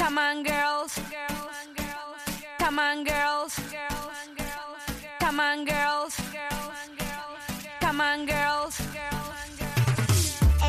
Come on, girls. Come on, girls. Come on, girls. Come on, girls.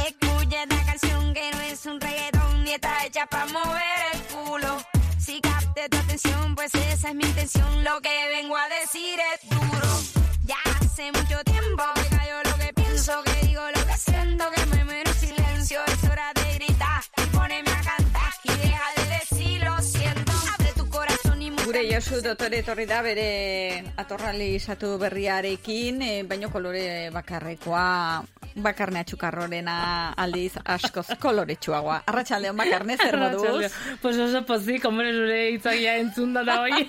Escucha esta canción que no es un reggaetón ni está hecha para mover el culo. Si capte tu atención, pues esa es mi intención. Lo que vengo a decir es duro. Ya hace mucho tiempo que cayó lo que pienso, que digo lo que siento, que me muero en silencio. Es hora de gritar y ponerme a cantar y deja de decir lo siento. Abre tu corazón y Gure Josu dotore etorri da bere atorralizatu berriarekin, baino kolore bakarrekoa, bakarne atxukarrorena aldiz askoz koloretsuagoa. Arratsaldeon Bakarne, zer moduz? Pues oso pozik, hombre, zure hitzagia entzunda da hoi.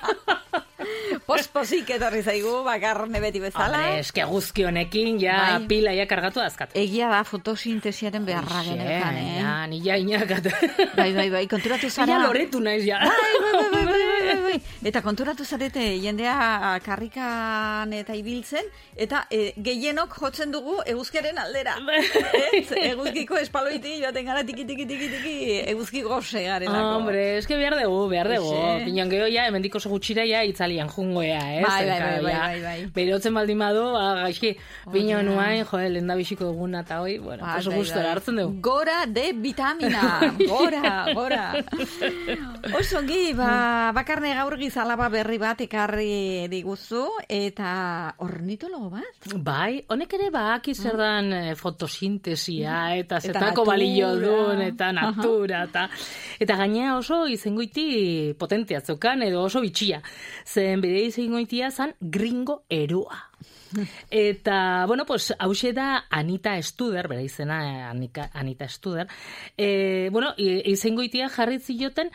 Pospozik etorri zaigu Bakarne beti bezala. Hombre, eske guzki honekin ja pila ja kargatu azkatu. Egia da fotosintesiaren beharra genekan, Ja, ni ja inakatu. Bai, konturatu zara. Ja loretu naiz ja. Bai. Eta konturatu zarete jendea karrikan eta ibiltzen, eta gehienok jotzen dugu eguzkeren aldera. Eguzkiko espaloiti joaten gara tiki, eguzki goze garelako. Hombre, eske behar dugu. Pinon geho ja, hemendik oso gutxira ja itzalian jungoea, ez? Bai. Berotzen baldin badu, gaizki, pinon nuain, lehen da bisiko duguna eta hoi, bueno, oso gustora hartzen dugu. Gora de vitamina, gora. Osongi, Bakarne gaur gizalaba berri bat ekarri diguzu, eta ornitologo bat? Bai, honek ere baki zer dan fotosintesia, eta zetako balio duen, eta natura, eta gainea oso izengoiti potentea zeukan, edo oso bitxia. Zen bide izengoitia zan gringo erua. Eta, bueno, pues, hause da Anita Studer, bera izena Anita Studer, bueno, izengoitia jarri zioten,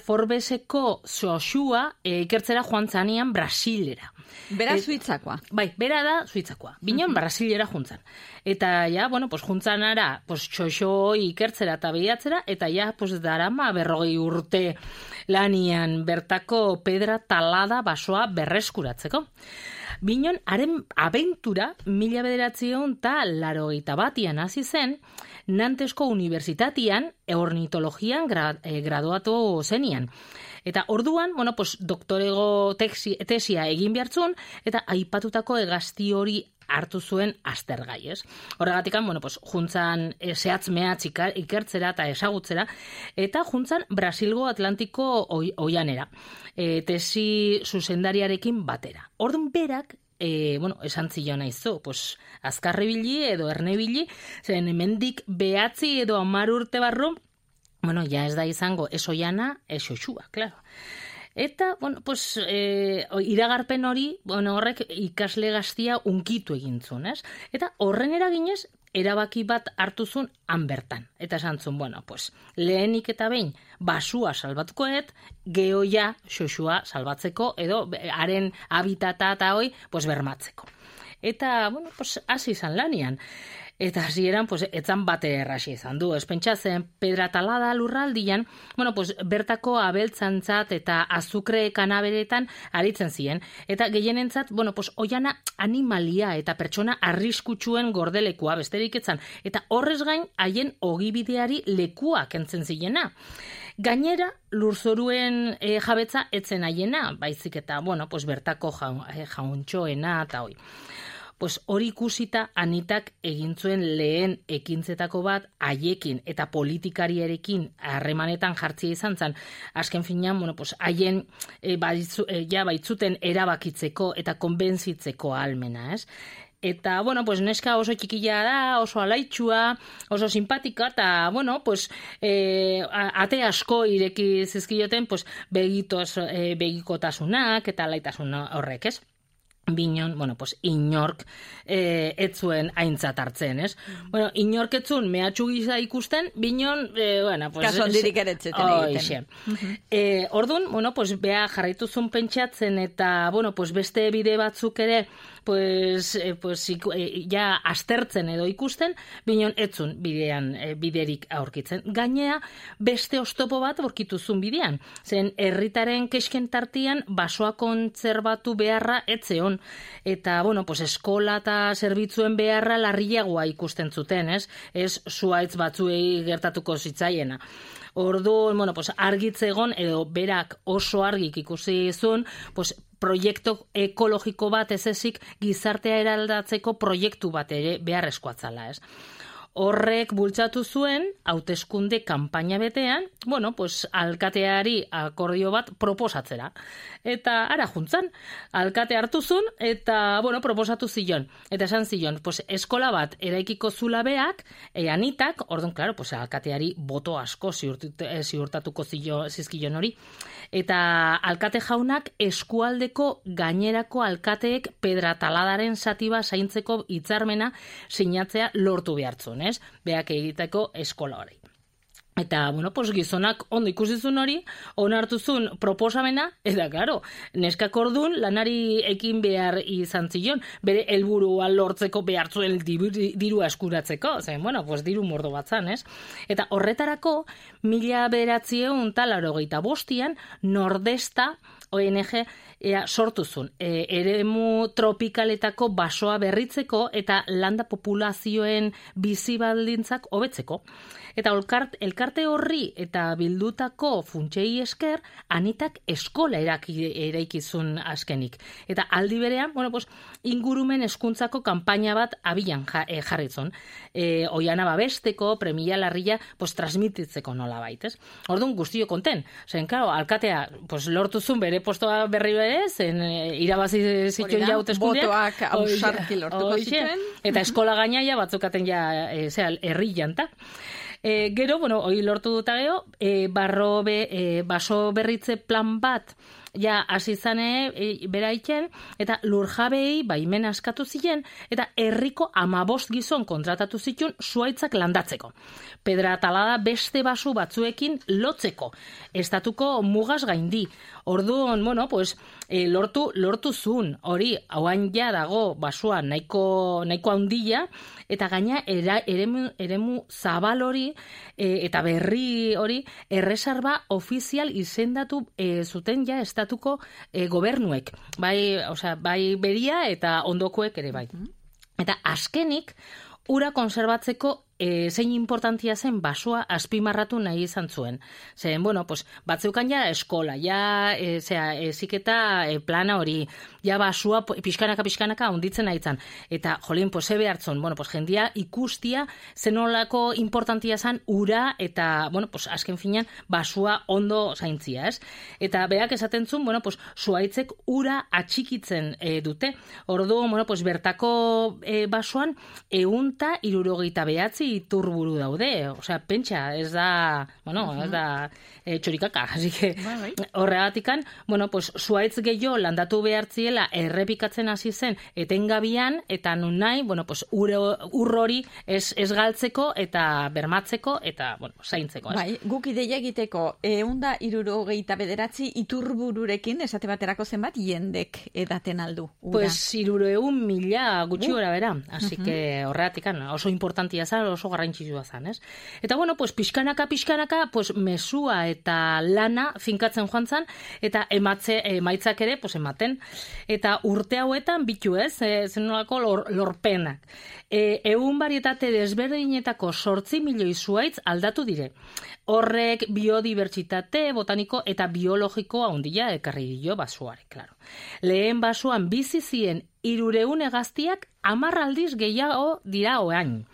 Forbeseko Xoxua ikertzera joan zanian Brasilera. Bera suitzakoa. Bai, bera da suitzakoa. Binon Brasilera juntzan. Eta ja, bueno, pues juntzan ara, pues Xoxo ikertzera eta behiatzera, eta ja, pues darama 40 urte lanian bertako pedra talada basoa berreskuratzeko. Binon, haren abentura 1981 hasi zen, Nantesko Unibertsitatean ornitologian graduatu zenian. Eta orduan, bueno, pues doktorego tesia egin behartzun, eta aipatutako hegazti hori hartu zuen aztergai, ez? Horregatikan, bueno, pues juntzan zehatz-mehatz ikertzera eta ezagutzera, eta juntzan Brasilgo Atlantiko oianera, tesi zuzendariarekin batera. Orduan berak, bueno, esan zion naizu, pues azkarribili edo ernebili, zen hemendik 9 edo 10 urte barru, bueno, ja ez da izango ez oiana, ez Xoxua, claro. Eta, bueno, pues, iragarpen hori, bueno, horrek ikasle gaztia unkitu egintzun, ez? Eta horren eraginez, erabaki bat hartuzun han bertan. Eta esan zuen, bueno, pues, lehenik eta behin basua salbatukoet, gehoia Xoxua salbatzeko, edo haren habitata eta hoi, pues, bermatzeko. Eta, bueno, pues, hasi izan lanian. Eta hasieran, pues, etzan bate erraxi izan du. Ez pentsatzen, pedra talada lurraldian, bueno, pues, bertako abeltzantzat eta azukre kanaberetan aritzen ziren. Eta gehienentzat, bueno, pues, oiana animalia eta pertsona arriskutsuen gordelekua besterik etzan. Eta horrez gain, haien ogibideari lekua kentzen zilena. Gainera, lurzoruen jabetza etzen haiena, baizik eta, bueno, pues, bertako jauntxoena eta hoi. Pues hori ikusita Anitak egin zuen lehen ekintzetako bat haiekin eta politikariarekin harremanetan jartzia izan zen. Azken finean, bueno, pues haien baitzuten erabakitzeko eta konbentzitzeko ahalmena, ez? Eta, bueno, pues neska oso txikila da, oso alaitxua, oso simpatika, eta, bueno, pues, ate asko ireki zizkioten, pues, begikotasunak eta alaitasun horrek, ez? Binon, bueno, pues, inork etzuen aintzat hartzen, ez? Bueno, inork etzun mehatxu gisa ikusten, binon, bueno, pues... Kaso ondirik eretzeten egiten. Orduan, bueno, pues, beha jarraituzun pentsatzen eta, bueno, pues, beste bide batzuk ere, pues, ja aztertzen edo ikusten, binon etzun biderik aurkitzen. Gainea, beste oztopo bat aurkituzun bidean. Zen, herritaren kesken tartian basoa kontzerbatu beharra etzeon. Eta, bueno, pues, eskola eta zerbitzuen beharra larriagoa ikusten zuten, ez? Ez zuaitz batzuei gertatuko zitzaiena. Orduan, bueno, pues argitzegon edo berak oso argik ikusi zuen, pues proiektu ekologiko bat ez ezik gizartea eraldatzeko proiektu bat ere beharrezkoa zela, ez? Horrek bultzatu zuen, hauteskunde kanpaina betean, bueno, pues alkateari akordio bat proposatzera. Eta ara juntzan, alkate hartu zuen, eta, bueno, proposatu zion. Eta esan zion, pues eskola bat eraikiko zula beak, anitak, orduan, claro, pues alkateari boto asko ziurtatuko zizkion hori. Eta alkate jaunak eskualdeko gainerako alkateek Pedrataladaren satiba zaintzeko hitzarmena sinatzea lortu behartzun, ez? Beak egiteko eskola hori. Eta, bueno, pues gizonak ondo ikusizun hori, onartuzun proposamena, eta, claro, neskak ordun lanari ekin behar izan zion, bere helburua lortzeko behartzuen dirua eskuratzeko, zen, bueno, pues diru mordo batzan, ez? Eta horretarako, 1985 Nordesta ONG sortuzun, eremu tropikaletako basoa berritzeko eta landa populazioen bizibaldintzak hobetzeko. Eta elkarte horri eta bildutako funtsei esker, anitak eskola eraikizun azkenik. Eta aldi berean, bueno, pues, ingurumen hezkuntzako kanpaina bat abian jarritzon. Oiana babesteko, premia larria, pues, transmititzeko nola baitez. Orduan guztio konten. Zen, claro, alkatea, pues, lortuzun bere postoa berri bere, zen irabazi zituen hauteskundeak. Botoak ausarki lortuko zituen. Eta eskola gainaia batzukaten ja, herri janta. Gero, bueno, hori lortu duta geho, baso berritze plan bat, ja, hasi zane bera iken, eta lurjabei baimen askatu ziren, eta herriko 15 gizon kontratatu zituen zuaitzak landatzeko. Pedratalada beste basu batzuekin lotzeko, estatuko mugaz gaindi. Orduan, bueno, pues, lortu zuen, hori, hauan ja dago basua nahiko handia, eta gaina eremu zabal hori, eta berri hori, erreserba ofizial izendatu zuten ja estatuko gobernuek. Bai beria eta ondokoek ere bai. Eta azkenik, ura konserbatzeko zein importantia zen basua azpimarratu nahi izan zuen. Zen, bueno, pues, batzeukan ja eskola, ja eziketa plana hori, ja basua pixkanaka hunditzen nahi zan. Eta, jolien, pues, ebe hartzun, bueno, pues, jendia ikustia zenolako importantia zen ura eta, bueno, pues, azken finean basua ondo zaintzia, ez? Eta berak esaten zuen, bueno, pues, zuaitzek ura atxikitzen dute. Ordu, bueno, pues, bertako basuan 169 iturburu daude, osea, pentsa, ez da, bueno, ez da txorikaka, así que horregatikan, bueno, pues, zuaitz gehiago landatu behartziela errepikatzen hasi zen etengabian, eta nun nahi, bueno, pues, urrori ez galtzeko eta bermatzeko eta, bueno, zaintzeko, ez? Bai, guk ideia egiteko 169 iturbururekin, esate baterako zenbat, jendek edaten aldu, ura? Pues, 300.000 gutxi gora bera, así que horregatikan, oso importantia zan, oso garrantzitsua zan, ez? Eta, bueno, pues, pixkanaka, pues, mesua eta lana finkatzen joan zan, eta emaitzak ere, pues, ematen. Eta urte hauetan bitu, ez? Zenolako lorpenak. 100 barietate desberdinetako 8 milioi zuaitz aldatu dire. Horrek biodibertsitate, botaniko eta biologiko handia ekarri dio basuare, claro. Lehen basuan bizi zien 300 hegaztiak 10 aldiz gehiago dira oain.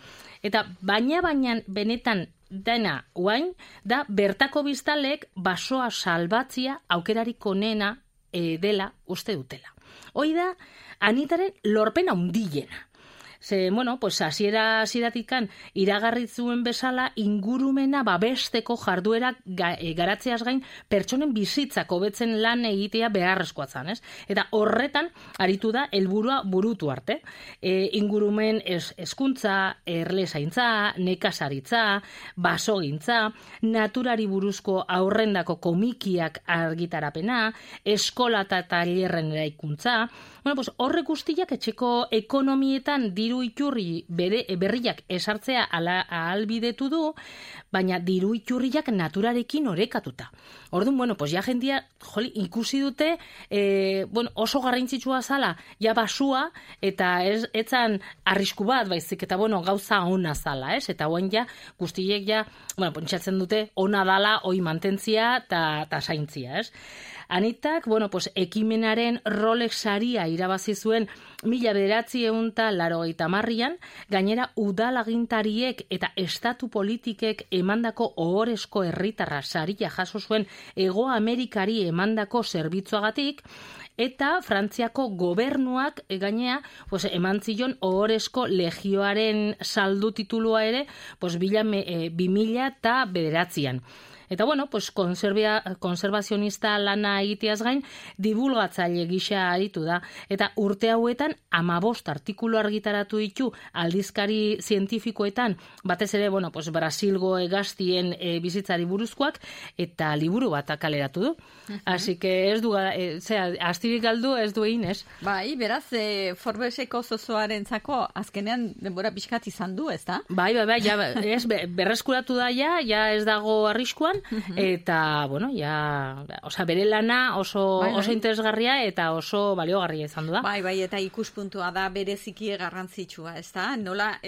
Eta baina benetan dena oain, da bertako biztalek basoa salbatzia aukerarik onena dela uste dutela. Hoi da, anitaren lorpen handiena. Ze, bueno, pues, hasieratik iragarri zuen bezala ingurumena babesteko jarduerak garatzeaz gain pertsonen bizitzak hobetzen lan egitea beharrezkoa zan, ez? Eta horretan aritu da helburua burutu arte. Ingurumen hezkuntza, erle zaintza, nekazaritza, basogintza, naturari buruzko aurrendako komikiak argitarapena, eskola eta tailerren eraikuntza. Bueno, pues, horrek guztiak etxeko ekonomietan diru iturri berriak esartzea ahalbidetu du, baina diru iturriak naturarekin orekatuta. Orduan, bueno, pues ja jendia ikusi dute oso garrantzitsua zala, ja basua, eta etzan arrisku bat, baizik, eta bueno, gauza ona zala, ez? Eta hoen ja, guztiek ja, bueno, pentsatzen dute, ona dala, oi mantentzia eta zaintzia, ez? Anitak, bueno, pues, ekimenaren Rolex saria irabazi zuen 1980an, gainera udalagintariek eta estatu politikek emandako ohorezko herritarra saria jaso zuen Hego Amerikari emandako zerbitzuagatik, eta Frantziako gobernuak gainea pues, eman zion ohorezko legioaren saldu titulua ere 2009an. Eta bueno, pues konservazionista lana egiteaz gain, divulgatzaile gisa aritu da. Eta urte hauetan 15 artikulu argitaratu ditu aldizkari zientifikoetan, batez ere, bueno, pues Brasilgo hegaztien bizitzari buruzkoak, eta liburu bat kaleratu du. Así que ez du, astirik galdu ez du egin, ez? Bai, beraz, Forbeseko zozoarentzako azkenean denbora pixkat izan du, ez da? Bai, ja, berreskuratu da ja ez dago arriskuan, eta, bueno, ja, bere lana oso interesgarria eta oso baliogarria izan du da. Bai, eta ikuspuntua da bereziki garrantzitsua, ez da? Nola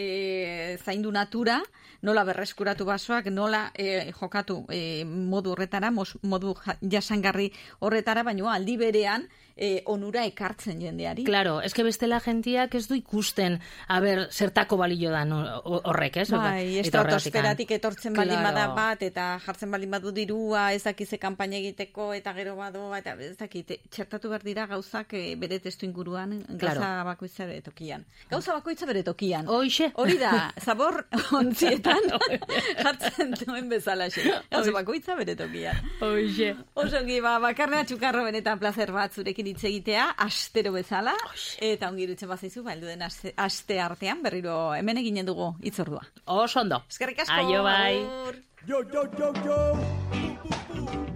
zaindu natura, nola berreskuratu basoak, nola jokatu modu horretara, modu jasangarri horretara, baina aldi berean onura ekartzen jendeari. Claro, eske bestela jentiak ez du ikusten, zertako balio da horrek, ez? Bai, estratosferatik etortzen baldin bada bat, eta jartzen baldin badu dirua, ez dakize kanpaina egiteko, eta gero badu, eta ez dakite, txertatu behar dira gauzak bere testu inguruan, gauza bakoitza bere tokian. Gauza bakoitza bere tokian. Hoxe. Hori da, zabor ontzietan jartzen duen bezalaxe. Gauza bakoitza bere tokian. Hoxe. Osongi, bakarnea txukarro benetan placer bat zurekin hitz egitea, astero bezala, eta ongi irutzen bazaizu, heldu den aste artean, berriro hemen eginen dugu hitzordua. Oso ondo. Eskerrik asko. Aio, bai. Yo.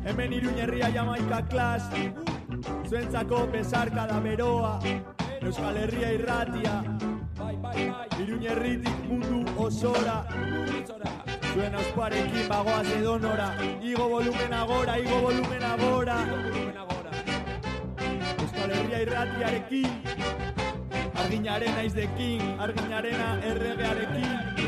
Hemen Iruña herria Jamaika klas, zuentzako besarkada beroa, Euskal Herria irratia, Iruña herritik mundu osora, zuen ausparekin bagoaz edonora, igo volumen agora. Euskal Herria irratiarekin, arginaren naizdekin, arginarena erregearekin.